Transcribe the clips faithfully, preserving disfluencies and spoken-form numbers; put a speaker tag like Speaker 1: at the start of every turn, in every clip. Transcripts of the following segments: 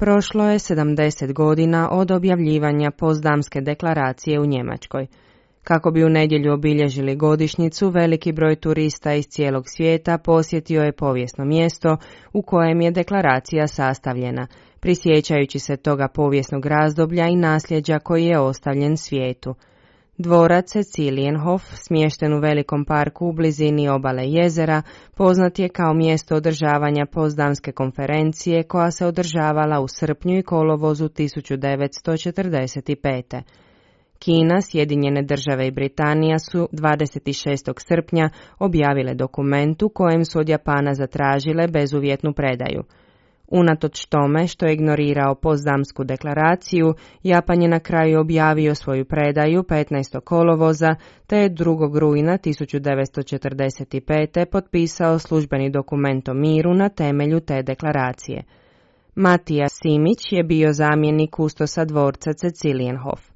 Speaker 1: Prošlo je sedamdeset godina od objavljivanja Potsdamske deklaracije u Njemačkoj. Kako bi u nedjelju obilježili godišnjicu, veliki broj turista iz cijelog svijeta posjetio je povijesno mjesto u kojem je deklaracija sastavljena, prisjećajući se toga povijesnog razdoblja i nasljeđa koji je ostavljen svijetu. Dvorac Cecilienhof, smješten u velikom parku u blizini obale jezera, poznat je kao mjesto održavanja Potsdamske konferencije koja se održavala u srpnju i kolovozu tisuću devetsto četrdeset pete. Kina, Sjedinjene države i Britanija su dvadeset šestog srpnja objavile dokument u kojem su od Japana zatražile bezuvjetnu predaju. Unatoč tome što je ignorirao Potsdamsku deklaraciju, Japan je na kraju objavio svoju predaju petnaestog kolovoza, te je drugog rujna tisuću devetsto četrdeset pete potpisao službeni dokument o miru na temelju te deklaracije. Matija Simić je bio zamjenik kustosa dvorca Cecilienhof.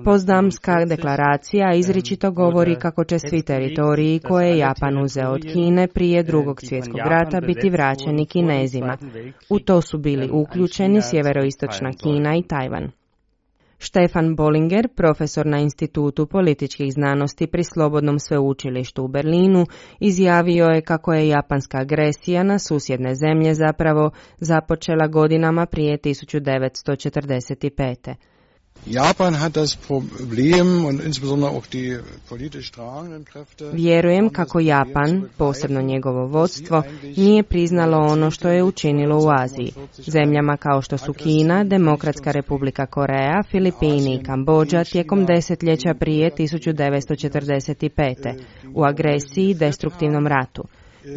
Speaker 1: Potsdamska deklaracija izričito govori kako će svi teritoriji koje je Japan uzeo od Kine prije drugog svjetskog rata biti vraćeni Kinezima. U to su bili uključeni sjeveroistočna Kina i Tajvan. Stefan Bollinger, profesor na Institutu političkih znanosti pri Slobodnom sveučilištu u Berlinu, izjavio je kako je japanska agresija na susjedne zemlje zapravo započela godinama prije tisuću devetsto četrdeset pete.
Speaker 2: Japan hat das Problem und insbesondere auch die politisch tragenden Kräfte.
Speaker 1: Vjerujem kako Japan, posebno njegovo vodstvo, nije priznalo ono što je učinilo u Aziji. Zemljama kao što su Kina, Demokratska republika Koreja, Filipini i Kambodža tijekom desetljeća prije tisuću devetsto četrdeset pete. u agresiji i destruktivnom ratu.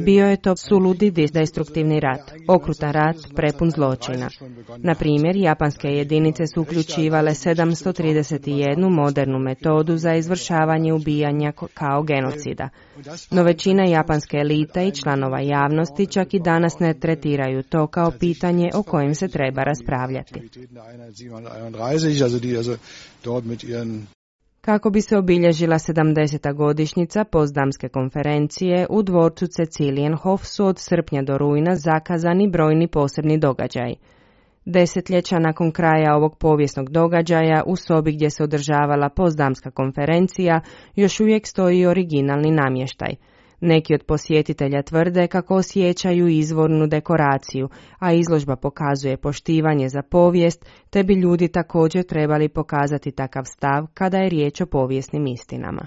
Speaker 1: Bio je to suludi destruktivni rat, okrutan rat prepun zločina. Na primjer, japanske jedinice su uključivale sedamsto trideset jedan modernu metodu za izvršavanje ubijanja kao genocida. No većina japanske elite i članova javnosti čak i danas ne tretiraju to kao pitanje o kojem se treba raspravljati. Kako bi se obilježila sedamdeseta godišnjica Potsdamske konferencije, u dvorcu Cecilienhof su od srpnja do rujna zakazani brojni posebni događaji. Desetljeća nakon kraja ovog povijesnog događaja, u sobi gdje se održavala Potsdamska konferencija, još uvijek stoji originalni namještaj. Neki od posjetitelja tvrde kako osjećaju izvornu dekoraciju, a izložba pokazuje poštivanje za povijest, te bi ljudi također trebali pokazati takav stav kada je riječ o povijesnim istinama.